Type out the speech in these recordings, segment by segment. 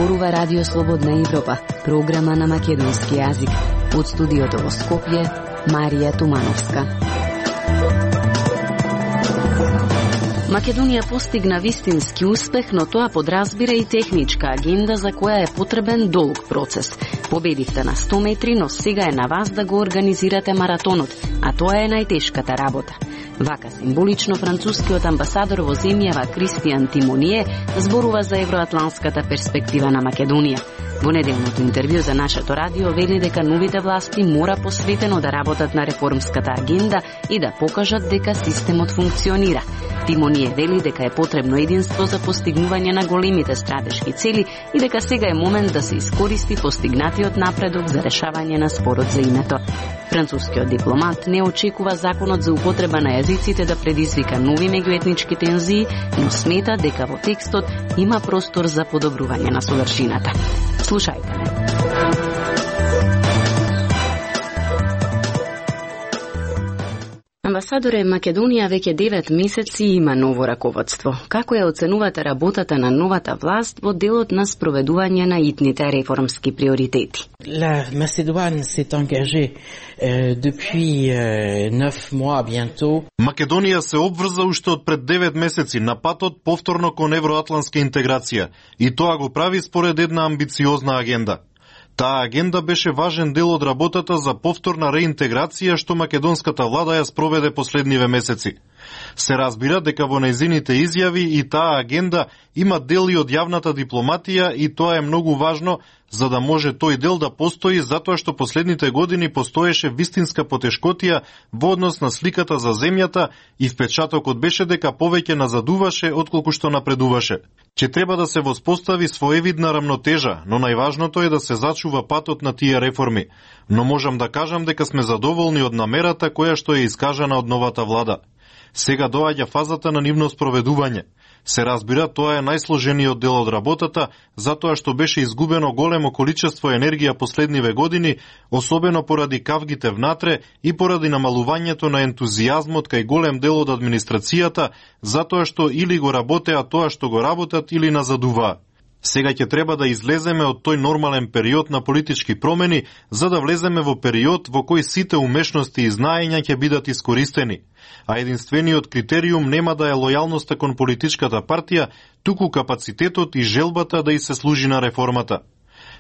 зборува Радио Слободна Европа, програма на македонски јазик. Од студиото во Скопје, Марија Тумановска. Македонија постигна вистински успех, но тоа подразбира и техничка агенда за која е потребен долг процес. Победивте на 100 метри, но сега е на вас да го организирате маратонот, а тоа е најтешката работа. Вака символично францускиот амбасадор во земјава Кристијан Тимоние зборува за евроатланската перспектива на Македонија. Во неделното интервју за нашето радио вели дека новите власти мора посветено да работат на реформската агенда и да покажат дека системот функционира. Тимоние вели дека е потребно единство за постигнување на големите стратешки цели и дека сега е момент да се искористи постигнатиот напредок за решавање на спорот за името. Францускиот дипломат не очекува законот за употреба на јазиците да предизвика нови меѓуетнички тензии, но смета дека во текстот има простор за подобрување на содржината. Слушајте ме. Амбасадоре, Македонија веќе 9 месеци има ново раководство. Како ја оценувате работата на новата власт во делот на спроведување на итните реформски приоритети? La Macédoine s'est engagée depuis 9 mois bientôt. Македонија се обврза уште од пред 9 месеци на патот повторно кон евроатлантска интеграција и тоа го прави според една амбициозна агенда. Таа агенда беше важен дел од работата за повторна реинтеграција што македонската влада ја спроведе последниве месеци. Се разбира дека во нејзините изјави и таа агенда има дели од јавната дипломатија и тоа е многу важно за да може тој дел да постои, затоа што последните години постоеше вистинска потешкотија во однос на сликата за земјата и впечатокот беше дека повеќе назадуваше отколку што напредуваше. Че треба да се воспостави своевидна рамнотежа, но најважното е да се зачува патот на тие реформи. Но можам да кажам дека сме задоволни од намерата која што е искажана од новата влада. Сега доаѓа фазата на нивно спроведување. Се разбира, тоа е најсложениот дел од работата, затоа што беше изгубено големо количество енергија последниве години, особено поради кавгите внатре и поради намалувањето на ентузијазмот кај голем дел од администрацијата, затоа што или го работеа тоа што го работат или назадуваа. Сега ќе треба да излеземе од тој нормален период на политички промени, за да влеземе во период во кој сите умешности и знаења ќе бидат искористени. А единствениот критериум нема да е лојалноста кон политичката партија, туку капацитетот и желбата да и се служи на реформата.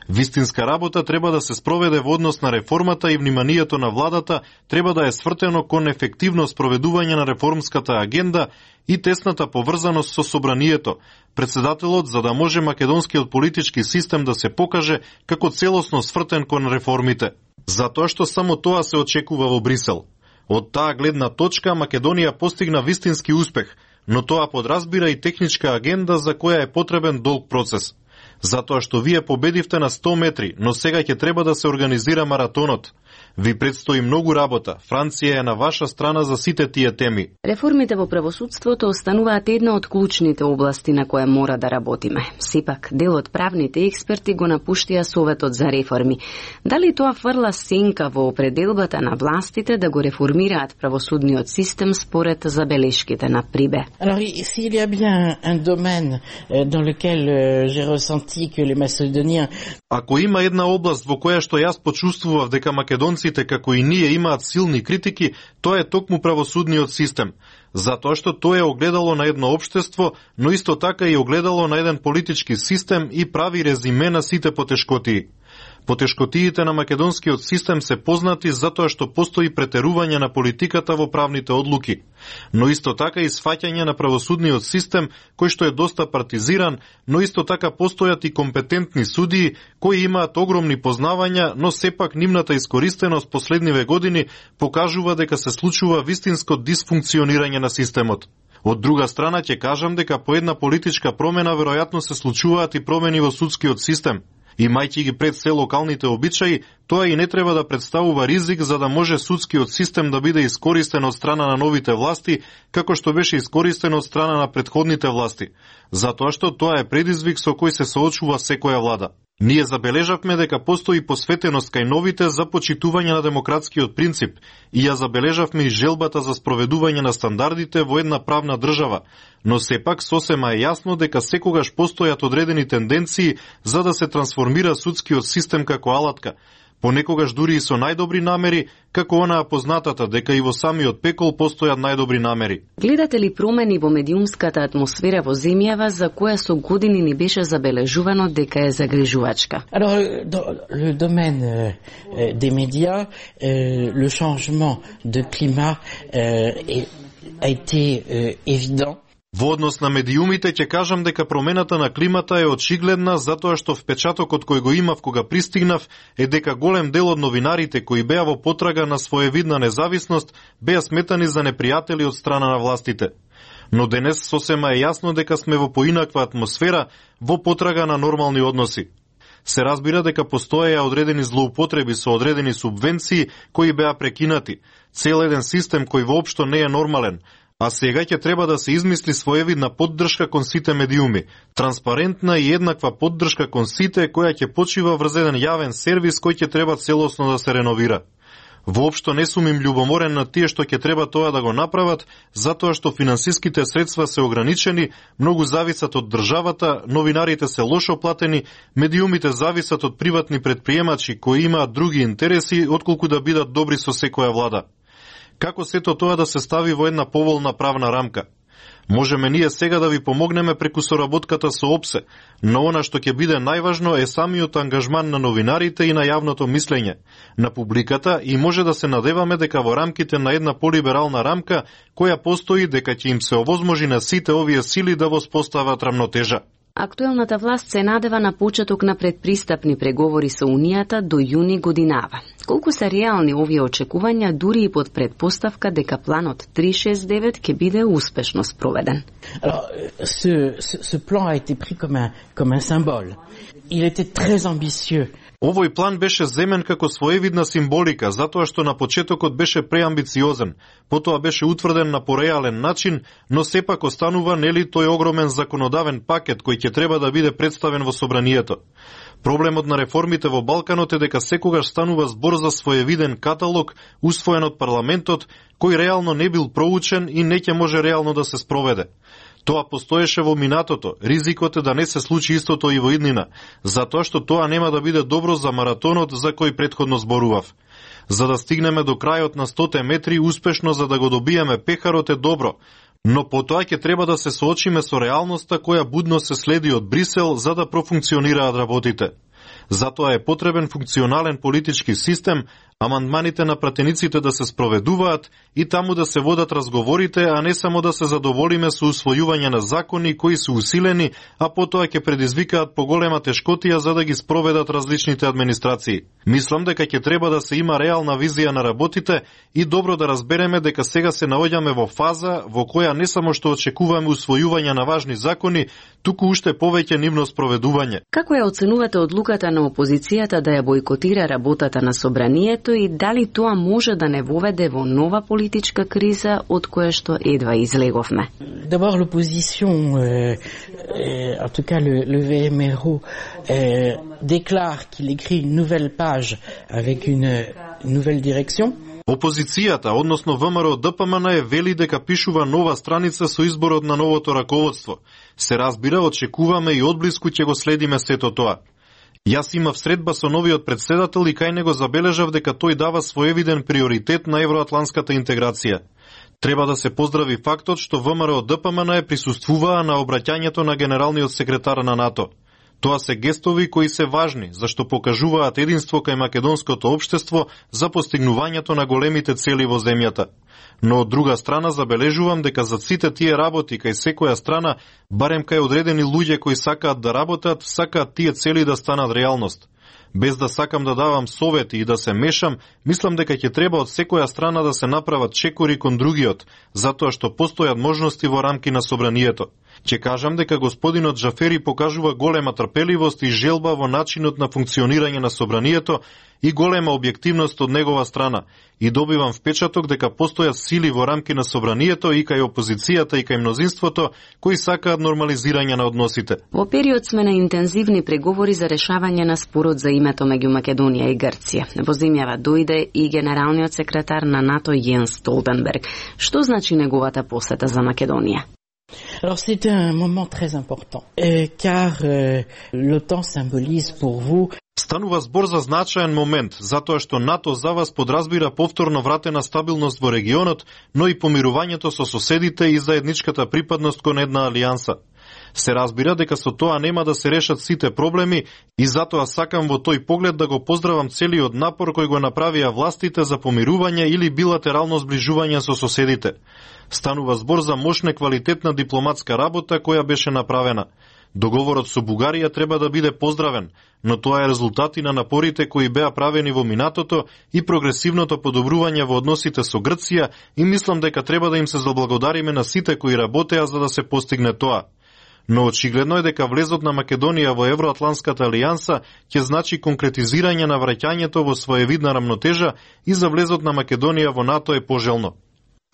Вистинска работа треба да се спроведе во однос на реформата и вниманието на владата треба да е свртено кон ефективно спроведување на реформската агенда и тесната поврзаност со собранието, председателот, за да може македонскиот политички систем да се покаже како целосно свртен кон реформите. Затоа што само тоа се очекува во Брисел. Од таа гледна точка Македонија постигна вистински успех, но тоа подразбира и техничка агенда за која е потребен долг процес. Затоа што вие победивте на 100 метри, но сега ќе треба да се организира маратонот. Ви предстои многу работа. Франција е на ваша страна за сите тие теми. Реформите во правосудството остануваат една од клучните области на која мора да работиме. Сепак, дел од правните експерти го напуштија Советот за реформи. Дали тоа фрла сенка во определбата на властите да го реформираат правосудниот систем според забелешките на Прибе? Alors, s'il y a bien un domaine dans lequel j'ai ressenti que les Macédoniens... Ако има една област во која што јас почувствував дека македонците како и ние имаат силни критики, тоа е токму правосудниот систем. Затоа што тоа е огледало на едно општество, но исто така и огледало на еден политички систем и прави резиме на сите потешкотии. Потешкотиите на македонскиот систем се познати затоа што постои претерување на политиката во правните одлуки, но исто така и сфаќање на правосудниот систем кој што е доста партизиран, но исто така постојат и компетентни судии кои имаат огромни познавања, но сепак нивната искористеност последниве години покажува дека се случува вистинско дисфункционирање на системот. Од друга страна ќе кажам дека по една политичка промена веројатно се случуваат и промени во судскиот систем. Имајќи ги пред се локалните обичаи, тоа и не треба да представува ризик за да може судскиот систем да биде искористен од страна на новите власти, како што беше искористен од страна на претходните власти, затоа што тоа е предизвик со кој се соочува секоја влада. Ние забележавме дека постои посветеност кај новите за почитување на демократскиот принцип и ја забележавме и желбата за спроведување на стандардите во една правна држава, но сепак сосема е јасно дека секогаш постојат одредени тенденции за да се трансформира судскиот систем како алатка, понекогаш дури и со најдобри намери, како онаа познатата дека и во самиот пекол постојат најдобри намери. Гледате ли промени во медиумската атмосфера во земјава за која со години ни беше забележувано дека е загрижувачка? Alors, dans le domaine des médias, le changement de climat a été évident. Во однос на медиумите ќе кажам дека промената на климата е очигледна затоа што впечатокот кој го имав кога пристигнав е дека голем дел од новинарите кои беа во потрага на своевидна независност беа сметани за непријатели од страна на властите. Но денес сосема е јасно дека сме во поинаква атмосфера во потрага на нормални односи. Се разбира дека постоеја одредени злоупотреби со одредени субвенции кои беа прекинати, цел еден систем кој воопшто не е нормален, а сега ќе треба да се измисли своевидна поддршка кон сите медиуми, транспарентна и еднаква поддршка кон сите која ќе почива врз еден јавен сервис кој ќе треба целосно да се реновира. Воопшто не сум им љубоморен на тие што ќе треба тоа да го направат, затоа што финансиските средства се ограничени, многу зависат од државата, новинарите се лошо платени, медиумите зависат од приватни претприемачи кои имаат други интереси отколку да бидат добри со секоја влада. Како сето тоа да се стави во една поволна правна рамка? Можеме ние сега да ви помогнеме преку соработката со ОПСЕ, но она што ќе биде најважно е самиот ангажман на новинарите и на јавното мислење, на публиката, и може да се надеваме дека во рамките на една полиберална рамка која постои дека ќе им се овозможи на сите овие сили да воспостават рамнотежа. Актуелната власт се надева на почеток на предпристапни преговори со Унијата до јуни годинава. Колку се реални овие очекувања, дури и под предпоставка дека планот 369 ќе биде успешно спроведен? Alors, ce plan a été pris comme un symbole. Il était très ambitieux. Овој план беше земен како своевидна символика, затоа што на почетокот беше преамбициозен, потоа беше утврден на пореален начин, но сепак останува нели тој огромен законодавен пакет кој ќе треба да биде представен во собранието. Проблемот на реформите во Балканот е дека секогаш станува збор за своевиден каталог, усвоен од парламентот, кој реално не бил проучен и не ќе може реално да се спроведе. Тоа постоеше во минатото, ризикот е да не се случи истото и во иднина, затоа што тоа нема да биде добро за маратонот за кој претходно зборував. За да стигнеме до крајот на 100 метри успешно за да го добиеме пехарот е добро, но потоа ќе треба да се соочиме со реалноста која будно се следи од Брисел за да профункционираат работите. Затоа е потребен функционален политички систем, амандманите на пратениците да се спроведуваат и таму да се водат разговорите, а не само да се задоволиме со усвојување на закони кои се усилени, а потоа ќе предизвикаат поголема тешкотија за да ги спроведат различните администрации. Мислам дека ќе треба да се има реална визија на работите и добро да разбереме дека сега се наоѓаме во фаза во која не само што очекуваме усвојување на важни закони, туку уште повеќе нивно спроведување. Како ја оценувате одлуката на опозицијата да ја бойкотира работата на собранието и дали тоа може да не воведе во нова политичка криза од која што едва излеговме? D'abord l'opposition, en tout cas le VMRO, déclare qu'il écrit une nouvelle page avec une nouvelle direction. Опозицијата, односно ВМРО ДПМН, вели дека пишува нова страница со изборот на новото раководство. Се разбира, очекуваме и одблиску ќе го следиме сето тоа. Јас имав средба со новиот председател и кај него забележав дека тој дава своевиден приоритет на евроатланската интеграција. Треба да се поздрави фактот што ВМРО ДПМН присуствуваа на обраќањето на генералниот секретар на НАТО. Тоа се гестови кои се важни, зашто покажуваат единство кај македонското општество за постигнувањето на големите цели во земјата. Но од друга страна забележувам дека за сите тие работи кај секоја страна, барем кај одредени луѓе кои сакаат да работат, сакаат тие цели да станат реалност. Без да сакам да давам совети и да се мешам, мислам дека ќе треба од секоја страна да се направат чекори кон другиот, затоа што постојат можности во рамки на собранието. Ќе кажам дека господинот Джафери покажува голема трпеливост и желба во начинот на функционирање на собранието и голема објективност од негова страна, и добивам впечаток дека постојат сили во рамки на собранието и кај опозицијата и кај мнозинството кои сакаат нормализирање на односите. Во период сме на интензивни преговори за решавање на спорот за името меѓу Македонија и Грција. Во земјава дојде и генералниот секретар на НАТО Јенс Столтенберг. Што значи неговата посета за Македонија? Alors c'est un moment très important, car l'OTAN symbolise pour vous. Станува збор за значаен момент, затоа што НАТО за вас подразбира повторно вратена стабилност во регионот, но и помирувањето со соседите и заедничката припадност кон една алијанса. Се разбира дека со тоа нема да се решат сите проблеми и затоа сакам во тој поглед да го поздравам целиот напор кој го направија властите за помирување или билатерално зближување со соседите. Станува збор за мощна квалитетна дипломатска работа која беше направена. Договорот со Бугарија треба да биде поздравен, но тоа е резултат и на напорите кои беа правени во минатото и прогресивното подобрување во односите со Грција, и мислам дека треба да им се заблагодариме на сите кои работеа за да се постигне тоа. Но очигледно е дека влезот на Македонија во Евроатланската алијанса ќе значи конкретизирање на враќањето во своевидна рамнотежа и за влезот на Македонија во НАТО е пожелно.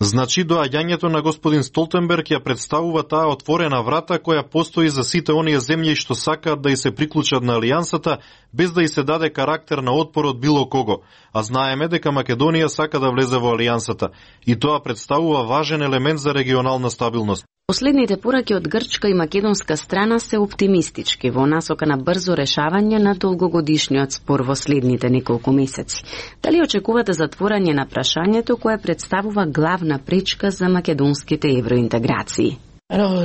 Значи, доаѓањето на господин Столтенберг ја представува таа отворена врата која постои за сите оние земји што сакаат да и се приклучат на алијансата, без да и се даде карактер на отпор од било кого, а знаеме дека Македонија сака да влезе во алијансата, и тоа представува важен елемент за регионална стабилност. Последните пораки од грчка и македонска страна се оптимистички во насока на брзо решавање на долгогодишниот спор во следните неколку месеци. Дали очекувате затворање на прашањето кое представува главна пречка за македонските евроинтеграции? Alors,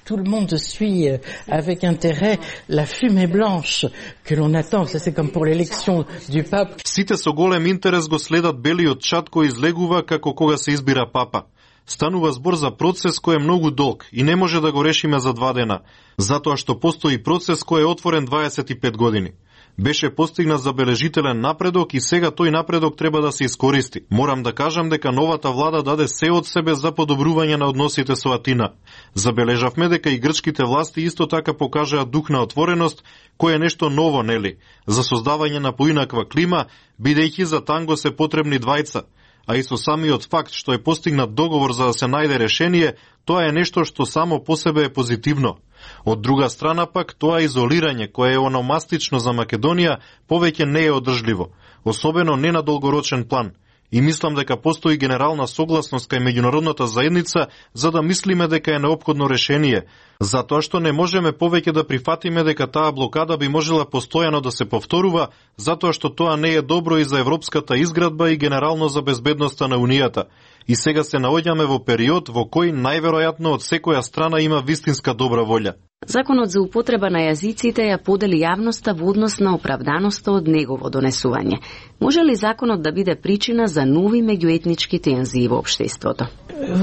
tout le monde suit avec intérêt la fumée blanche que l'on attend. Ça, c'est comme pour l'élection du pape. Сите со голем интерес го следат белиот чад кој излегува како кога се избира папа. Станува збор за процес кој е многу долг и не може да го решиме за 2 дена, затоа што постои процес кој е отворен 25 години. Беше постигнат забележителен напредок и сега тој напредок треба да се искористи. Морам да кажам дека новата влада даде се од себе за подобрување на односите со Атина. Забележавме дека и грчките власти исто така покажаа дух на отвореност, кој е нешто ново, нели, за создавање на поинаква клима, бидејќи за танго се потребни двајца. А и со самиот факт што е постигнат договор за да се најде решение, тоа е нешто што само по себе е позитивно. Од друга страна пак, тоа изолирање, кое е ономастично за Македонија, повеќе не е одржливо, особено не на долгорочен план. И мислам дека постои генерална согласност кај меѓународната заедница за да мислиме дека е неопходно решение, затоа што не можеме повеќе да прифатиме дека таа блокада би можела постојано да се повторува, затоа што тоа не е добро и за европската изградба и генерално за безбедноста на Унијата. И сега се наоѓаме во период во кој најверојатно од секоја страна има вистинска добра волја. Законот за употреба на јазиците ја подели јавноста во однос на оправданоста од негово донесување. Може ли законот да биде причина за нови меѓуетнички тензии во општеството?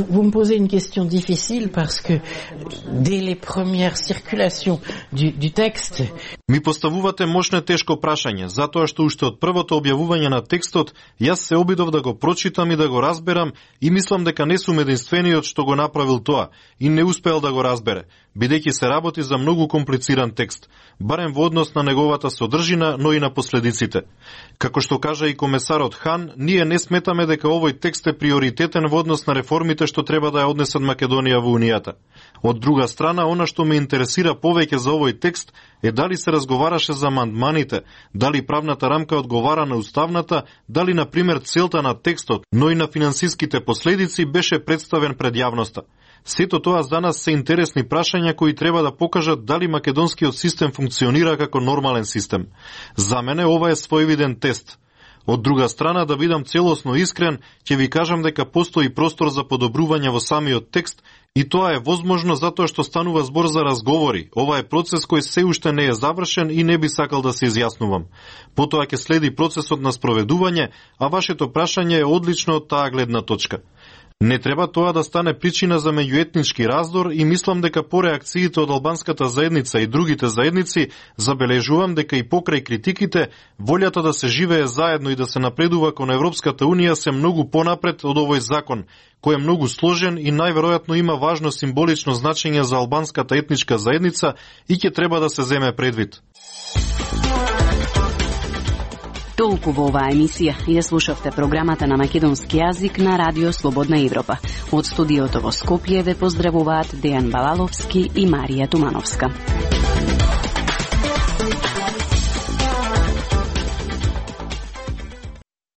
Vous me posez une question difficile parce que dès les premières circulations du texte. Ми поставувате мощно тешко прашање, затоа што уште од првото објавување на текстот јас се обидов да го прочитам и да го разберам и мислам дека не сум единствениот што го направил тоа и не успеал да го разбере, бидејќи се работи за многу комплициран текст, барем во однос на неговата содржина, но и на последиците. Како што кажа и комесарот Хан, ние не сметаме дека овој текст е приоритетен во однос на реформите што треба да ја однесат Македонија во Унијата. Од друга страна, она што ме интересира повеќе за овој текст е дали се разговараше за амандманите, дали правната рамка одговара на уставната, дали, например, целта на текстот, но и на финансиските последици беше представен пред јавноста. Сето тоа за нас се интересни прашања кои треба да покажат дали македонскиот систем функционира како нормален систем. За мене ова е своевиден тест. Од друга страна, да бидам целосно искрен, ќе ви кажам дека постои простор за подобрување во самиот текст и тоа е возможно затоа што станува збор за разговори. Ова е процес кој се уште не е завршен и не би сакал да се изјаснувам. Потоа ќе следи процесот на спроведување, а вашето прашање е одлично од таа гледна точка. Не треба тоа да стане причина за меѓуетнички раздор и мислам дека по реакциите од албанската заедница и другите заедници забележувам дека и покрај критиките, волјата да се живее заедно и да се напредува кон Европската Унија се многу понапред од овој закон, кој е многу сложен и најверојатно има важно символично значење за албанската етничка заедница и ќе треба да се земе предвид. Толку во оваа емисија ја слушавте програмата на македонски јазик на Радио Слободна Европа. Од студиото во Скопје ве поздравуваат Дејан Балаловски и Марија Тумановска.